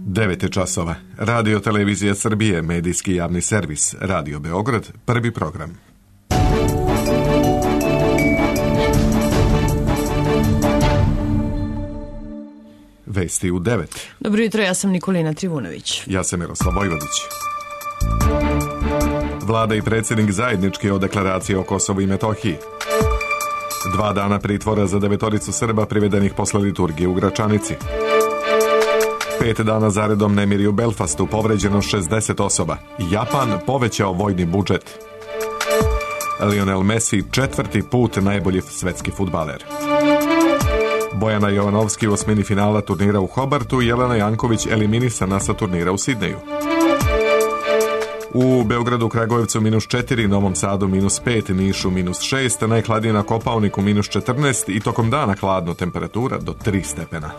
9 je časova. Radio Televizija Srbije, medijski javni servis, Radio Beograd, prvi program. Vesti u 9. Dobro jutro, ja sam Nikolina Trivunović. Ja sam Miroslav Vojvodić. Vlada i predsjednik zajednički o deklaraciji o Kosovu i Metohiji. 2 dana pritvora za 9 Srba privedenih posle liturgije u Gračanici. 5 dana zaredom nemiri u Belfastu, povređeno 60 osoba. Japan povećao vojni budžet. Lionel Messi 4. put najbolji svetski fudbaler. Bojana Jovanovski u osmini finala turnira u Hobartu, Jelena Janković eliminisana sa turnira u Sidneju. U Beogradu, Kragujevcu -4, Novom Sadu -5, Nišu -6, najhladnije na Kopaoniku -14 i tokom dana hladno, temperatura do 3 stepena.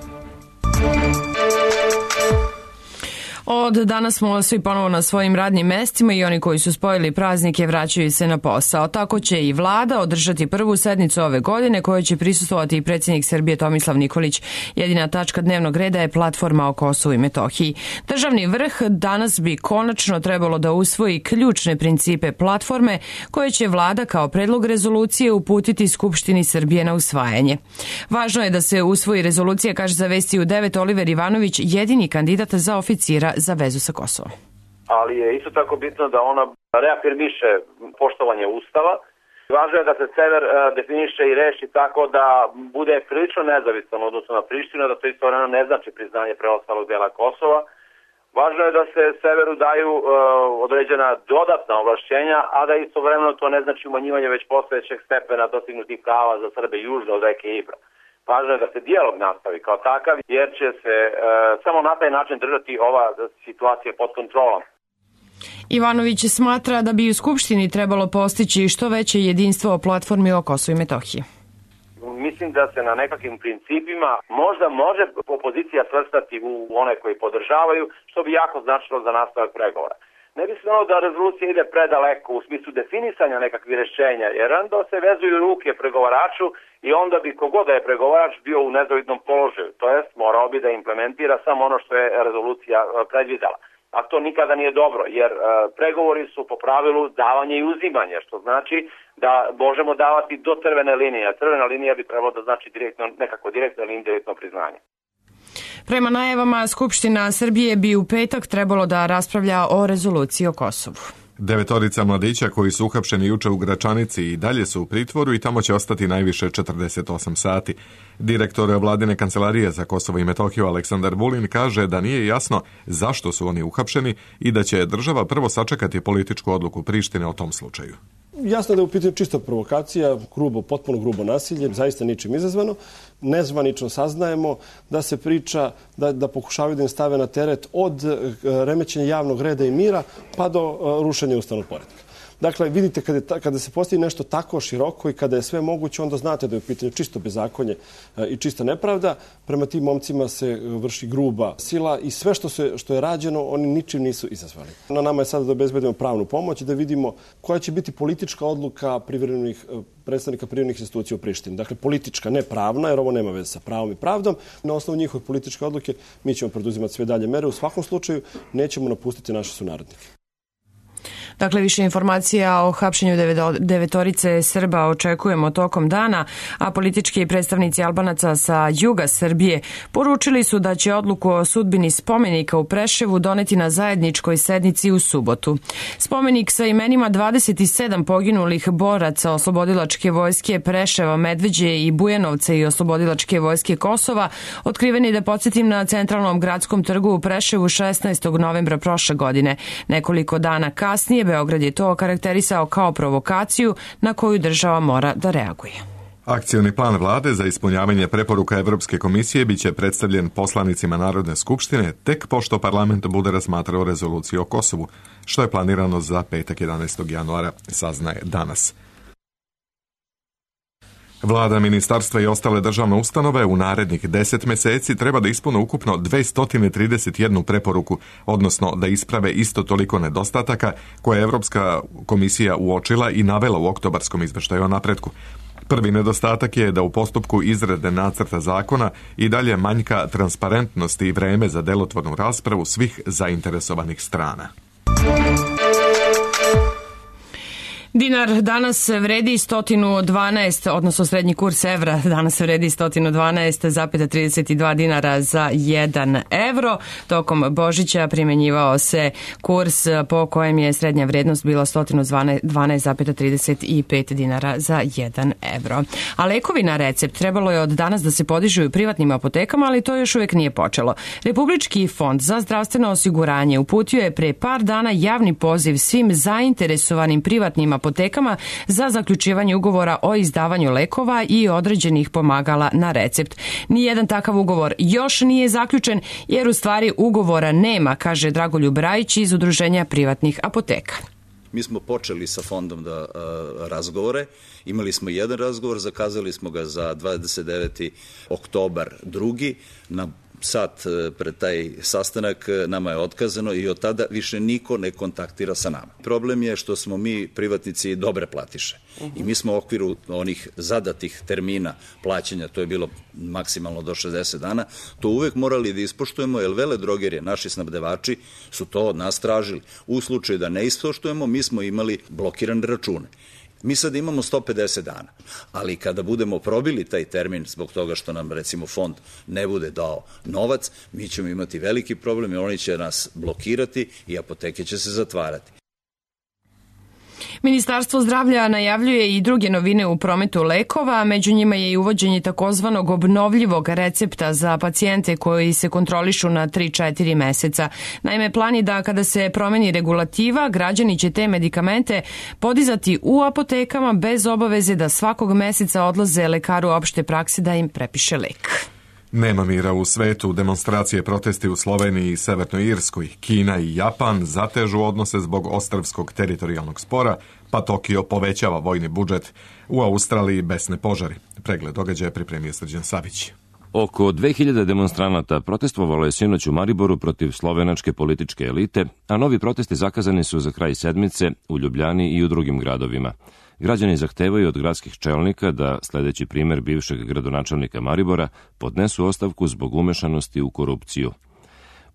Od danas smo svi ponovo na svojim radnim mestima i oni koji su spojili praznike vraćaju se na posao. Tako će i vlada održati prvu sednicu ove godine kojoj će prisustvovati i predsjednik Srbije Tomislav Nikolić. Jedina tačka dnevnog reda je platforma o Kosovu i Metohiji. Državni vrh danas bi konačno trebalo da usvoji ključne principe platforme koje će vlada kao predlog rezolucije uputiti Skupštini Srbije na usvajanje. Važno je da se usvoji rezolucija, kaže za Vesti u 9 Oliver Ivanović, jedini kandidat za oficira za vezu sa Kosovom. Ali je isto tako bitno da ona reafirmiše poštovanje Ustava. Važno je da se sever definiše i reši tako da bude prilično nezavisan odnosno na Prištinu, da to istovremeno ne znači priznanje preostalog dela Kosova. Važno je da se severu daju određena dodatna ovlašćenja, a da istovremeno to ne znači umanjivanje već postojećeg stepena dostignutih prava za Srbe južno od reke Ibra. Važno je da se dijalog nastavi kao takav, jer će se samo na taj način držati ova situacija pod kontrolom. Ivanović smatra da bi u Skupštini trebalo postići što veće jedinstvo o platformi o Kosovu i Metohiji. Mislim da se na nekakvim principima možda može opozicija svrstati u one koji podržavaju, što bi jako značilo za nastavak pregovora. Ne bi se ono da rezolucija ide predaleko u smislu definisanja nekakvih rješenja, jer onda se vezuju ruke pregovaraču i onda bi kogod da je pregovarač bio u nezavidnom položaju, to jest morao bi da implementira samo ono što je rezolucija predvidela. A to nikada nije dobro, jer pregovori su po pravilu davanje i uzimanje, što znači da možemo davati do crvene linije, a crvena linija bi trebalo da znači nekako direktno ili indirektno priznanje. Prema najavama, Skupština Srbije bi u petak trebalo da raspravlja o rezoluciji o Kosovu. 9 mladića koji su uhapšeni juče u Gračanici i dalje su u pritvoru i tamo će ostati najviše 48 sati. Direktor vladine kancelarije za Kosovo i Metohiju Aleksandar Vulin kaže da nije jasno zašto su oni uhapšeni i da će država prvo sačekati političku odluku Prištine o tom slučaju. Jasno da je u pitanju čista provokacija, potpuno grubo nasilje, zaista ničim izazvano. Nezvanično saznajemo da se priča da pokušavaju da im stave na teret od remećenja javnog reda i mira pa do rušenja ustavnog poretka. Dakle, vidite, kada se postavi nešto tako široko i kada je sve moguće, onda znate da je u pitanju čisto bezakonje i čista nepravda. Prema tim momcima se vrši gruba sila i sve što je rađeno, oni ničim nisu izazvali. Na nama je sada da obezbedimo pravnu pomoć i da vidimo koja će biti politička odluka predstavnika privremenih institucija u Prištini. Dakle, politička, ne pravna, jer ovo nema veze sa pravom i pravdom. Na osnovu njihove političke odluke mi ćemo preduzimati sve dalje mere. U svakom slučaju nećemo napustiti naše sunarodnike. Dakle, više informacija o hapšenju 9 Srba očekujemo tokom dana, a politički predstavnici Albanaca sa juga Srbije poručili su da će odluku o sudbini spomenika u Preševu doneti na zajedničkoj sednici u subotu. Spomenik sa imenima 27 poginulih boraca Oslobodilačke vojske Preševa, Medveđe i Bujanovca i Oslobodilačke vojske Kosova otkriven je, da podsjetim, na centralnom gradskom trgu u Preševu 16. novembra prošle godine. Nekoliko dana kasnije Beograd je to okarakterisao kao provokaciju na koju država mora da reaguje. Akcioni plan vlade za ispunjavanje preporuka Evropske komisije biće predstavljen poslanicima Narodne skupštine tek pošto parlament bude razmatrao rezoluciju o Kosovu, što je planirano za petak 11. januara, saznaje danas. Vlada, ministarstva i ostale državne ustanove u narednih 10 meseci treba da ispune ukupno 231 preporuku, odnosno da isprave isto toliko nedostataka koje je Evropska komisija uočila i navela u oktobarskom izveštaju o napretku. Prvi nedostatak je da u postupku izrade nacrta zakona i dalje manjka transparentnosti i vreme za delotvornu raspravu svih zainteresovanih strana. Dinar danas vredi 112, odnosno srednji kurs evra danas vredi 112,32 dinara za 1 evro. Tokom Božića primjenjivao se kurs po kojem je srednja vrednost bila 112,35 dinara za 1 evro. A lekovi na recept trebalo je od danas da se podižu u privatnim apotekama, ali to još uvek nije počelo. Republički fond za zdravstveno osiguranje uputio je pre par dana javni poziv svim zainteresovanim privatnim apotekama za zaključivanje ugovora o izdavanju lekova i određenih pomagala na recept. Nijedan takav ugovor još nije zaključen, jer u stvari ugovora nema, kaže Dragoljub Rajić iz Udruženja privatnih apoteka. Mi smo počeli sa fondom razgovore, imali smo jedan razgovor, zakazali smo ga za 29. oktobar 2. Na sat pred taj sastanak nama je otkazano i od tada više niko ne kontaktira sa nama. Problem je što smo mi privatnici dobre platiše i mi smo u okviru onih zadatih termina plaćanja, to je bilo maksimalno do 60 dana, to uvek morali da ispoštujemo, jer veledrogerije, naši snabdevači su to od nas tražili. U slučaju da ne ispoštujemo, mi smo imali blokirane račune. Mi sad imamo 150 dana, ali kada budemo probili taj termin zbog toga što nam recimo fond ne bude dao novac, mi ćemo imati veliki problem i oni će nas blokirati i apoteke će se zatvarati. Ministarstvo zdravlja najavljuje i druge novine u prometu lekova, među njima je i uvođenje takozvanog obnovljivog recepta za pacijente koji se kontrolišu na 3-4 meseca. Naime, plan je da kada se promeni regulativa, građani će te medikamente podizati u apotekama bez obaveze da svakog meseca odlaze lekaru opšte prakse da im prepiše lek. Nema mira u svetu. Demonstracije, protesti u Sloveniji i Severnoj Irskoj, Kina i Japan zatežu odnose zbog ostrvskog teritorijalnog spora, pa Tokio povećava vojni budžet. U Australiji besne požari. Pregled događaja pripremio Srđan Savić. Oko 2000 demonstranata protestovalo je sinoć u Mariboru protiv slovenačke političke elite, a novi protesti zakazani su za kraj sedmice u Ljubljani i u drugim gradovima. Građani zahtevaju od gradskih čelnika da, sledeći primer bivšeg gradonačelnika Maribora, podnesu ostavku zbog umešanosti u korupciju.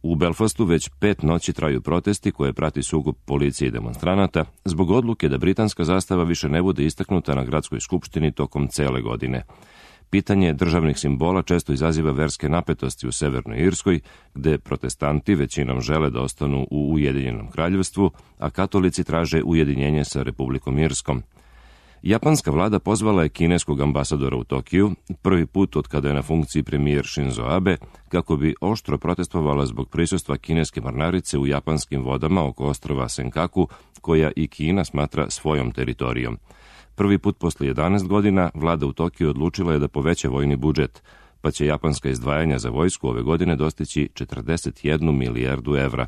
U Belfastu već 5 noći traju protesti koje prati sukob policije i demonstranata zbog odluke da britanska zastava više ne bude istaknuta na gradskoj skupštini tokom cele godine. Pitanje državnih simbola često izaziva verske napetosti u Severnoj Irskoj, gde protestanti većinom žele da ostanu u Ujedinjenom kraljevstvu, a katolici traže ujedinjenje sa Republikom Irskom. Japanska vlada pozvala je kineskog ambasadora u Tokiju, prvi put od kada je na funkciji premijer Shinzo Abe, kako bi oštro protestovala zbog prisustva kineske mornarice u japanskim vodama oko ostrva Senkaku, koja i Kina smatra svojom teritorijom. Prvi put posle 11 godina vlada u Tokiju odlučila je da poveća vojni budžet, pa će japanska izdvajanja za vojsku ove godine dostići 41 milijardu evra.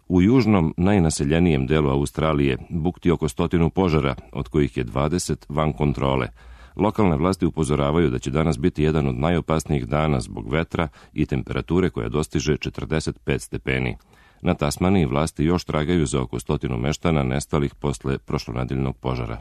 U južnom, najnaseljenijem delu Australije bukti oko 100 požara, od kojih je 20 van kontrole. Lokalne vlasti upozoravaju da će danas biti jedan od najopasnijih dana zbog vetra i temperature koja dostiže 45 stepeni. Na Tasmaniji vlasti još tragaju za oko 100 meštana nestalih posle prošlonedeljnog požara.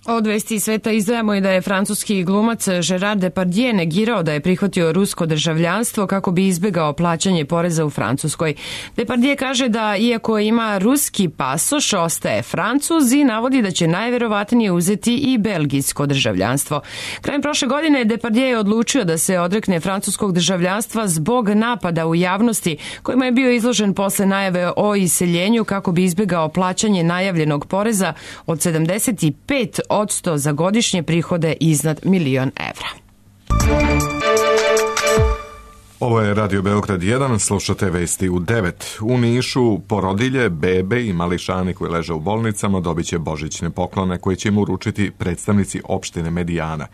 Od vesti sveta izdvajamo i da je francuski glumac Gerard Depardieu negirao da je prihvatio rusko državljanstvo kako bi izbegao plaćanje poreza u Francuskoj. Depardieu kaže da iako ima ruski pasoš, ostaje Francuz i navodi da će najverovatnije uzeti i belgijsko državljanstvo. Krajem prošle godine Depardieu je odlučio da se odrekne francuskog državljanstva zbog napada u javnosti kojima je bio izložen posle najave o iseljenju kako bi izbegao plaćanje najavljenog poreza od 75% za godišnje prihode iznad 1.000.000 evra. Ovo je Radio Beograd 1, slušate vesti u 9. U Nišu porodilje, bebe i mališani koji leže u bolnicama dobit će božićne poklone koje će im uručiti predstavnici opštine Medijana.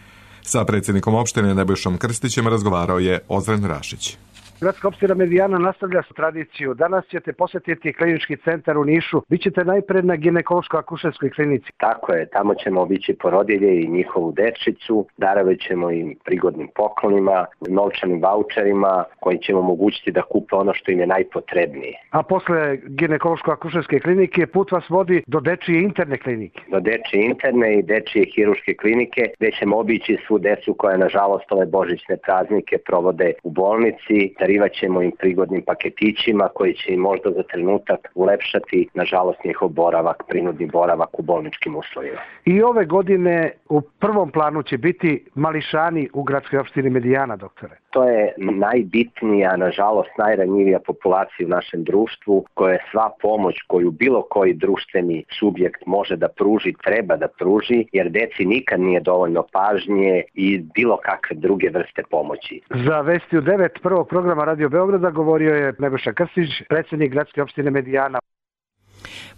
Sa predsjednikom opštine Nebojšom Krstićem razgovarao je Ozren Rašić. Gradska opština Medijana nastavlja tradiciju. Danas ćete posjetiti klinički centar u Nišu. Bićete najpred na ginekološko-akušerskoj klinici. Tako je, tamo ćemo obići porodilje i njihovu dečicu. Darovat ćemo im prigodnim poklonima, novčanim vaučerima koji će im omogućiti da kupe ono što im je najpotrebnije. A posle ginekološko-akušerske klinike put vas vodi do dečije interne klinike. Do dečije interne i dečije hiruške klinike, gde ćemo obići svu decu koja nažalost ove božićne praznike provode u bolnici. Darivat ćemo im prigodnim paketićima koji će im možda za trenutak ulepšati nažalost njihov boravak, prinudni boravak u bolničkim uslovima. I ove godine u prvom planu će biti mališani u gradskoj opštini Medijana, doktore. To je najbitnija, nažalost najranjivija populacija u našem društvu, koja je sva pomoć koju bilo koji društveni subjekt može da pruži, treba da pruži, jer deci nikad nije dovoljno pažnje i bilo kakve druge vrste pomoći. Za Vesti u 9 prvog programa Radio Beograda govorio je Nebojša Krstić, predsjednik gradske opštine Medijana.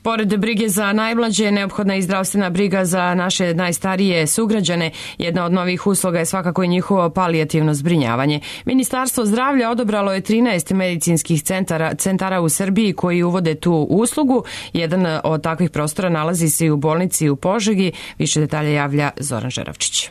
Pored brige za najmlađe, neophodna i zdravstvena briga za naše najstarije sugrađane. Jedna od novih usluga je svakako i njihovo palijativno zbrinjavanje. Ministarstvo zdravlja odobralo je 13 medicinskih centara u Srbiji koji uvode tu uslugu. Jedan od takvih prostora nalazi se i u bolnici u Požegi. Više detalja javlja Zoran Žeravčić.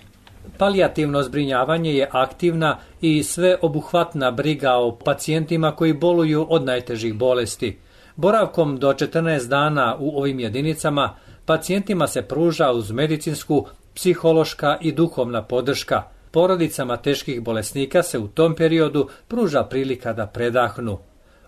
Palijativno zbrinjavanje je aktivna i sveobuhvatna briga o pacijentima koji boluju od najtežih bolesti. Boravkom do 14 dana u ovim jedinicama pacijentima se pruža uz medicinsku, psihološka i duhovna podrška. Porodicama teških bolesnika se u tom periodu pruža prilika da predahnu.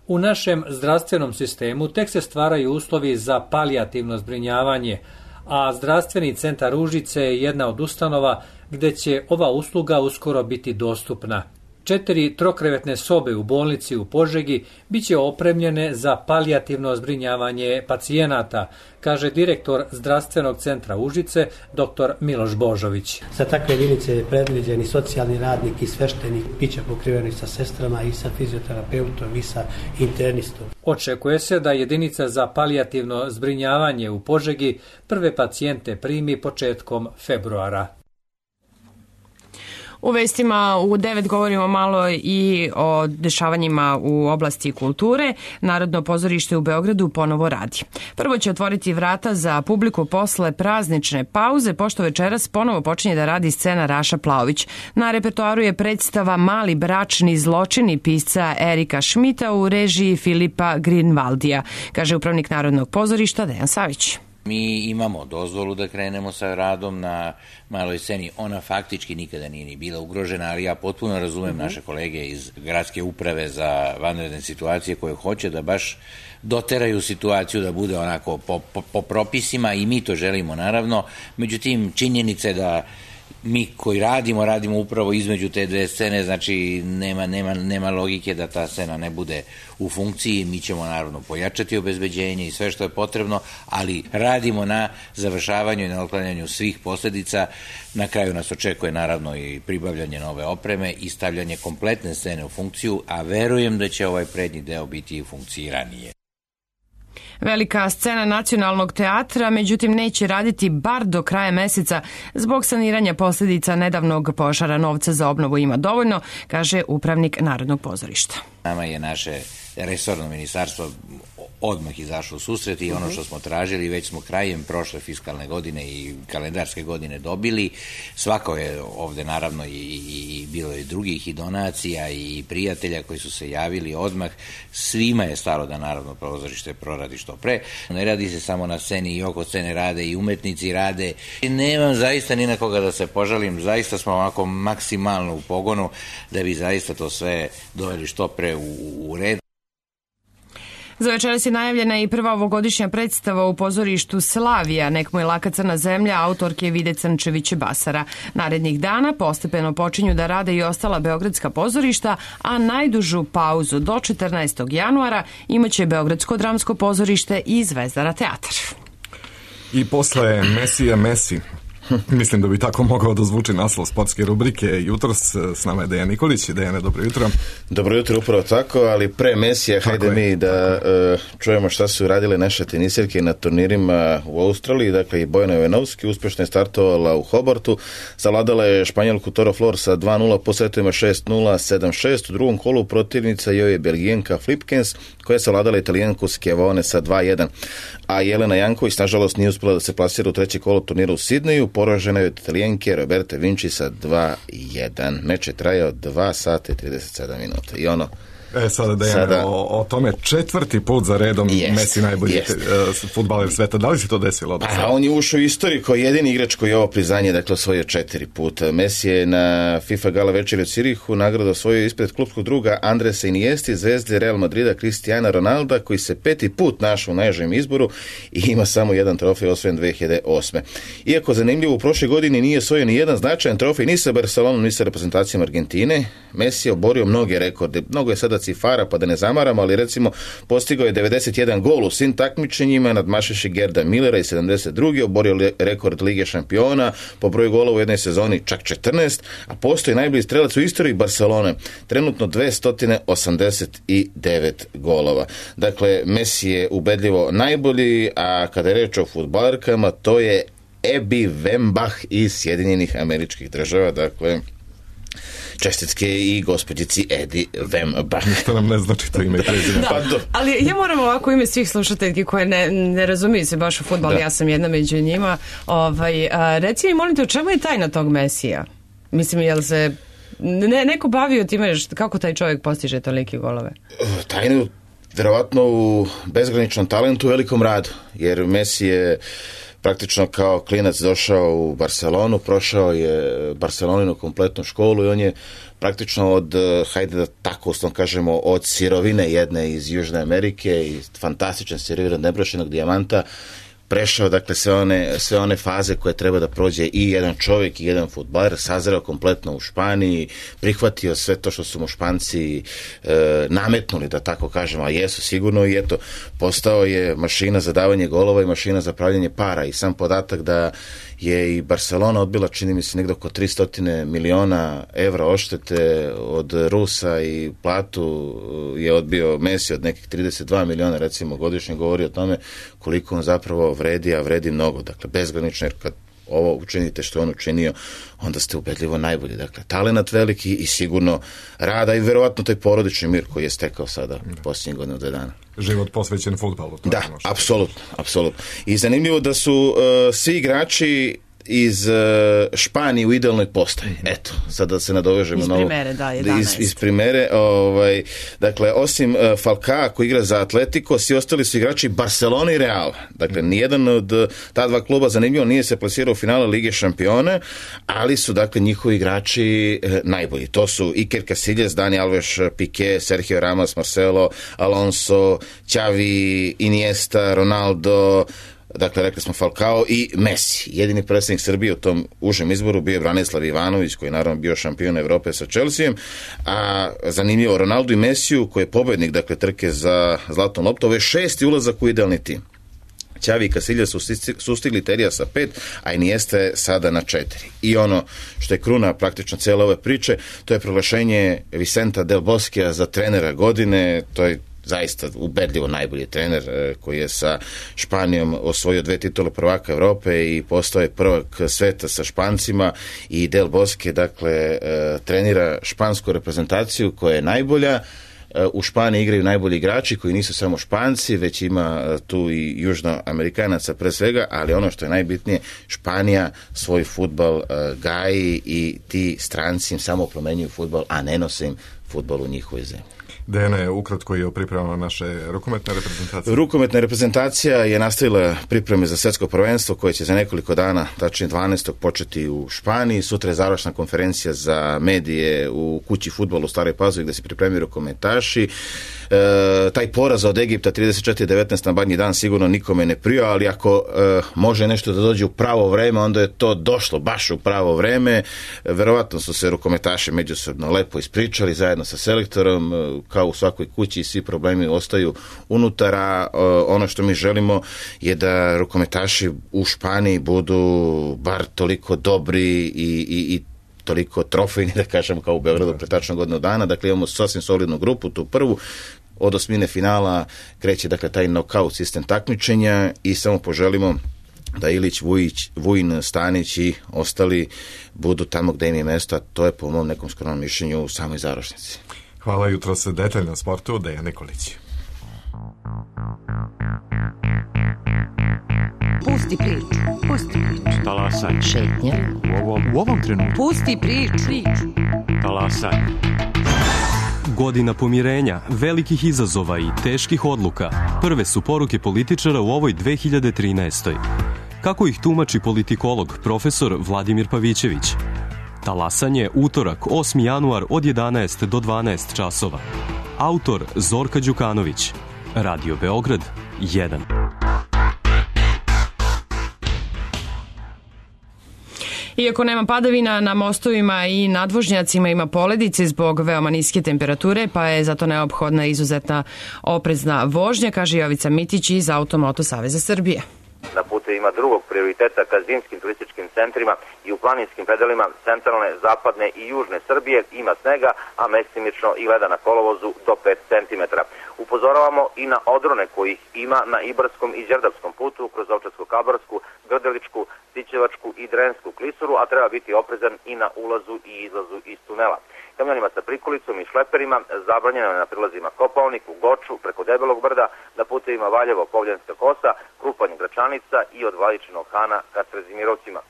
U našem zdravstvenom sistemu tek se stvaraju uslovi za palijativno zbrinjavanje, a zdravstveni centar Užice je jedna od ustanova gde će ova usluga uskoro biti dostupna. 4 trokrevetne sobe u bolnici u Požegi biće opremljene za palijativno zbrinjavanje pacijenata, kaže direktor zdravstvenog centra Užice, dr. Miloš Božović. Za takve jedinice je predviđeni socijalni radnik i sveštenik, biće pokriveni sa sestrama i sa fizioterapeutom i sa internistom. Očekuje se da jedinica za palijativno zbrinjavanje u Požegi prve pacijente primi početkom februara. U vestima u 9 govorimo malo i o dešavanjima u oblasti kulture. Narodno pozorište u Beogradu ponovo radi. Prvo će otvoriti vrata za publiku posle praznične pauze, pošto večeras ponovo počinje da radi scena Raša Plaović. Na repertoaru je predstava Mali bračni zločini pisca Erika Šmita u režiji Filipa Grinvaldija, kaže upravnik Narodnog pozorišta Dejan Savić. Mi imamo dozvolu da krenemo sa radom na maloj sceni. Ona faktički nikada nije ni bila ugrožena, ali ja potpuno razumem naše kolege iz Gradske uprave za vanredne situacije koje hoće da baš doteraju situaciju da bude onako po propisima i mi to želimo naravno. Međutim, činjenica je da mi koji radimo upravo između te dve scene, znači nema logike da ta scena ne bude u funkciji. Mi ćemo naravno pojačati obezbeđenje i sve što je potrebno, ali radimo na završavanju i na otklanjanju svih posljedica. Na kraju nas očekuje naravno i pribavljanje nove opreme i stavljanje kompletne scene u funkciju, a verujem da će ovaj prednji deo biti i funkciranije. Velika scena Nacionalnog teatra, međutim, neće raditi bar do kraja meseca zbog saniranja posljedica nedavnog požara. Novca za obnovu ima dovoljno, kaže upravnik Narodnog pozorišta. Nama je naše resorno ministarstvo odmah izašlo u susret i ono što smo tražili već smo krajem prošle fiskalne godine i kalendarske godine dobili. Svako je ovde naravno i bilo je drugih i donacija i prijatelja koji su se javili odmah. Svima je stalo da Narodno pozorište proradi što pre. Ne radi se samo na sceni, i oko scene rade i umetnici rade. Nemam zaista ni na koga da se požalim, zaista smo ovako maksimalno u pogonu da bi zaista to sve doveli što pre u red. Za večeras je najavljena i prva ovogodišnja predstava u pozorištu Slavija, Nek mu je laka crna zemlja, autorke Vide Crnčević-Basara. Narednih dana postepeno počinju da rade i ostala beogradska pozorišta, a najdužu pauzu do 14. januara imaće Beogradsko dramsko pozorište i Zvezdara teatar. I posle Mesija Mesi, Mislim da bi tako mogao da zvuči naslov sportske rubrike. Jutros s nama je Dejan Nikolić. Dejane, dobro jutro. Dobro jutro, upravo tako, ali pre Mesija, hajde mi da čujemo šta su radile naše tenisirke na turnirima u Australiji. Dakle, i Bojana Jovanovski uspješno je startovala u Hobartu, savladala je Španjolku Toro Flor sa 2-0 po setovima 6-0, 7-6. U drugom kolu protivnica joj je Belgijenka Flipkens, koja je savladala Italijanku Schiavone sa 2-1. A Jelena Janković, nažalost, nije uspjela da se plasira u treće kolo turnira u Sidneju, poražena je od Italijanke Roberta Vinci sa 2-1. Meč je trajao 2 sata i 37 minuta. I ono... Sada Dejane, o tome četvrti put za redom Messi najbolji fudbaler sveta. Da li se to desilo? On je ušao u istoriju kao jedini igrač koji je ovo priznanje, dakle, osvojio 4 puta. Messi je na FIFA gala večeri u Cirihu nagradu osvojio ispred klubskog druga Andresa Iniesti, zvezde Real Madrida Cristiana Ronalda, koji se 5. put našao u najžem izboru i ima samo jedan trofej osvojen 2008. Iako zanimljivo, u prošle godini nije osvojio ni jedan značajan trofej ni sa Barcelonom, ni sa reprezentacijom Argentine. Messi je oborio mnoge rekorde. Mnogo je sada cifara, pa da ne zamaramo, ali recimo postigao je 91 gol u svim takmičenjima, nadmašivši Gerda Millera i 72. oborio rekord Lige šampiona, po broju gola u jednoj sezoni čak 14, a postoji najbolji strelac u istoriji Barcelone, trenutno 289 golova. Dakle, Messi je ubedljivo najbolji, a kada je reč o fudbalerkama, to je Abby Wambach iz Sjedinjenih Američkih Država, dakle, čestitke i gospođici Edi Wambach. Ništa nam ne znači to ime i prezime. Ali ja moram ovako ime svih slušateljki koje ne razumiju se baš u fudbal, ja sam jedna među njima. Reci mi, molim te, u čemu je tajna tog Mesija? Mislim, jel se neko bavio time kako taj čovjek postiže tolike golove? Tajnu verovatno u bezgraničnom talentu, u velikom radu, jer Messi je praktično kao klinac došao u Barcelonu, prošao je Barceloninu kompletnu školu i on je praktično od, hajde da tako uslovno kažemo, od sirovine jedne iz Južne Amerike i fantastičan sirovina nebrošenog dijamanta prešao, dakle, sve one faze koje treba da prođe i jedan čovjek i jedan fudbaler, sazreo kompletno u Španiji, prihvatio sve to što su mu Španci nametnuli, da tako kažemo, a jesu sigurno, i eto, postao je mašina za davanje golova i mašina za pravljanje para. I sam podatak da je i Barcelona odbila, čini mi se, negdje oko 300 miliona evra odštete od Rusa i platu je odbio Messi od nekih 32 miliona, recimo, godišnje, govori o tome koliko on zapravo vredi, a vredi mnogo. Dakle, bezgranično, jer kad ovo učinite što on učinio, onda ste ubedljivo najbolji. Dakle, talenat veliki i sigurno rada i verovatno taj porodični mir koji je stekao sada posljednjih godina 2 dana. Život posvećen fudbalu. Da, apsolutno. I zanimljivo da su svi igrači iz Španije u idealnoj postavi. Eto, sad da se nadovežemo iz primere, da, 11. Iz primere, dakle, osim Falcao koji igra za Atletico, svi ostali su igrači Barcelona i Reala. Dakle, nijedan od ta dva kluba, zanimljivo, nije se plasirao u finale Lige šampiona, ali su, dakle, njihovi igrači najbolji. To su Iker Casillas, Dani Alves, Piqué, Sergio Ramos, Marcelo, Alonso, Xavi, Iniesta, Ronaldo, dakle, rekli smo Falcao i Messi. Jedini predstavnik Srbije u tom užem izboru bio je Branislav Ivanović, koji je naravno bio šampion Evrope sa Chelseaem, a zanimljivo, Ronaldo i Messiju, koji je pobednik, dakle, trke za zlatnom loptu, ovo je 6. ulazak u idealni tim. Xavi i Casillas su sustigli Terija sa 5, a Iniesta je sada na 4. I ono što je kruna praktično cijele ove priče, to je proglašenje Vicenta Del Boskea za trenera godine. To je zaista ubedljivo najbolji trener koji je sa Španijom osvojio 2 titule prvaka Evrope i postao je prvak sveta sa Špancima. I Del Bosque, dakle, trenira špansku reprezentaciju koja je najbolja. U Španiji igraju najbolji igrači koji nisu samo Španci, već ima tu i Južnoamerikanaca pre svega, ali ono što je najbitnije, Španija svoj fudbal gaji i ti stranci im samo promenjuju fudbal, a ne nose im fudbal u njihovoj zemlji. Dejane, ukratko je pripremala naše rukometne reprezentacije. Rukometna reprezentacija je nastavila pripreme za svjetsko prvenstvo koje će za nekoliko dana, tačnije 12. početi u Španiji. Sutra je završna konferencija za medije u kući fudbalu u Staroj Pazovi gdje se pripremaju rukometaši. Taj poraz od Egipta 34-19 na badnji dan sigurno nikome ne prija, ali ako može nešto da dođe u pravo vreme, onda je to došlo baš u pravo vreme. Verovatno su se rukometaši međusobno lepo ispričali zajedno sa selektorom. kao u svakoj kući i svi problemi ostaju unutara. Ono što mi želimo je da rukometaši u Španiji budu bar toliko dobri i toliko trofejni, da kažem, kao u Beogradu pre tačno godinu dana. Dakle, imamo sasvim solidnu grupu, tu prvu. Od osmine finala kreće, dakle, taj nokaut sistem takmičenja i samo poželimo da Ilić, Vujin, Stanić i ostali budu tamo gde im je mesto, a to je po mom nekom skromnom mišljenju u samoj završnici. Hvala, jutro se detaljno sportu, Dejan Nikolić. Pusti priču. Talasaj. Šetnja. U ovom trenutku. Pusti priču. Talasaj. Godina pomirenja, velikih izazova i teških odluka prve su poruke političara u ovoj 2013. Kako ih tumači politikolog profesor Vladimir Pavićević? Talasanje, utorak, 8. januar od 11 do 12 časova. Autor Zorka Đukanović. Radio Beograd 1. Iako nema padavina, na mostovima i nadvožnjacima ima poledice zbog veoma niske temperature, pa je zato neophodna izuzetna oprezna vožnja, kaže Jovica Mitić iz Automoto Saveza Srbije. Na putevima drugog prioriteta ka zimskim turističkim centrima i u planinskim predelima centralne, zapadne i južne Srbije ima snega, a mestimično i leda na kolovozu do 5 cm. Upozoravamo i na odrone kojih ima na Ibarskom i Đerdapskom putu kroz Ovčarsko-Kablarsku, Grdeličku, Sićevačku i Drensku klisuru, a treba biti oprezan i na ulazu i izlazu iz tunela. Kamionima sa prikolicom i šleperima zabranjeno je na prilazima Kopaonik, u Goču, preko Debelog brda, na putevima Valjevo, Povljanska kosa, Krupanj, Gračanica i od Vladičinog Hana ka Trezimirovcima.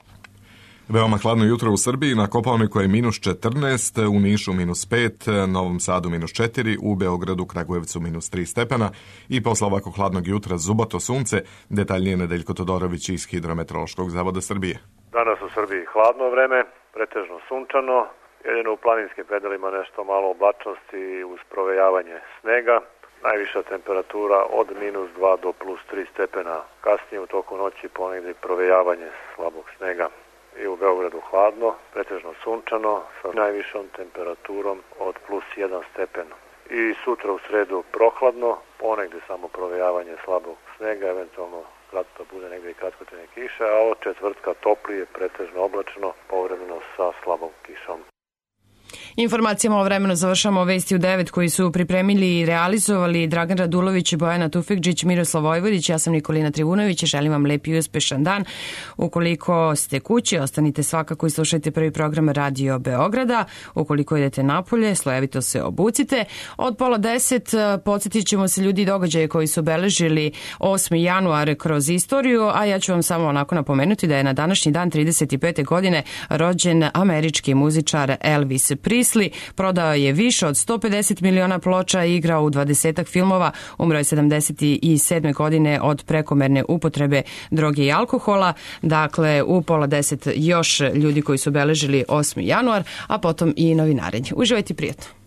Veoma hladno jutro u Srbiji, na Kopaoniku je -14, u Nišu -5, Novom Sadu -4, u Beogradu, Kragujevcu -3 stepena i posle ovako hladnog jutra zubato sunce, detaljnije Nedeljko Todorović iz Hidrometeorološkog zavoda Srbije. Danas u Srbiji hladno vreme, pretežno sunčano, jedino u planinskim predelima nešto malo oblačnosti uz provejavanje snega. Najviša temperatura od -2 do +3 stepena. Kasnije u toku noći ponegdje provejavanje slabog snega. I u Beogradu hladno, pretežno sunčano, sa najvišom temperaturom od +1 stepen. I sutra u sredu prohladno, ponegdje samo provejavanje slabog snega, eventualno kratko bude negdje i kratkotrajne kiše, a od četvrtka toplije, pretežno oblačno, povremeno sa slabom kišom. Informacijama o vremenu završamo Vesti u 9 koji su pripremili i realizovali Dragan Radulović, Bojana Tufekđić, Miroslav Vojvodić, ja sam Nikolina Trivunović i želim vam lep i uspešan dan. Ukoliko ste kući, ostanite svakako i slušajte prvi program Radio Beograda. Ukoliko idete napolje, slojevito se obucite. Od 9:30 podsjetit ćemo se ljudi i događaje koji su obeležili 8. januar kroz istoriju, a ja ću vam samo onako napomenuti da je na današnji dan 35. godine rođen američki muzičar Elvis Presley. Prodao je više od 150 miliona ploča i igrao u 20-ak filmova. Umro je 77. godine od prekomerne upotrebe droge i alkohola. Dakle, u 9:30 još ljudi koji su obeležili 8. januar, a potom i novinarenje. Uživajte prijatno.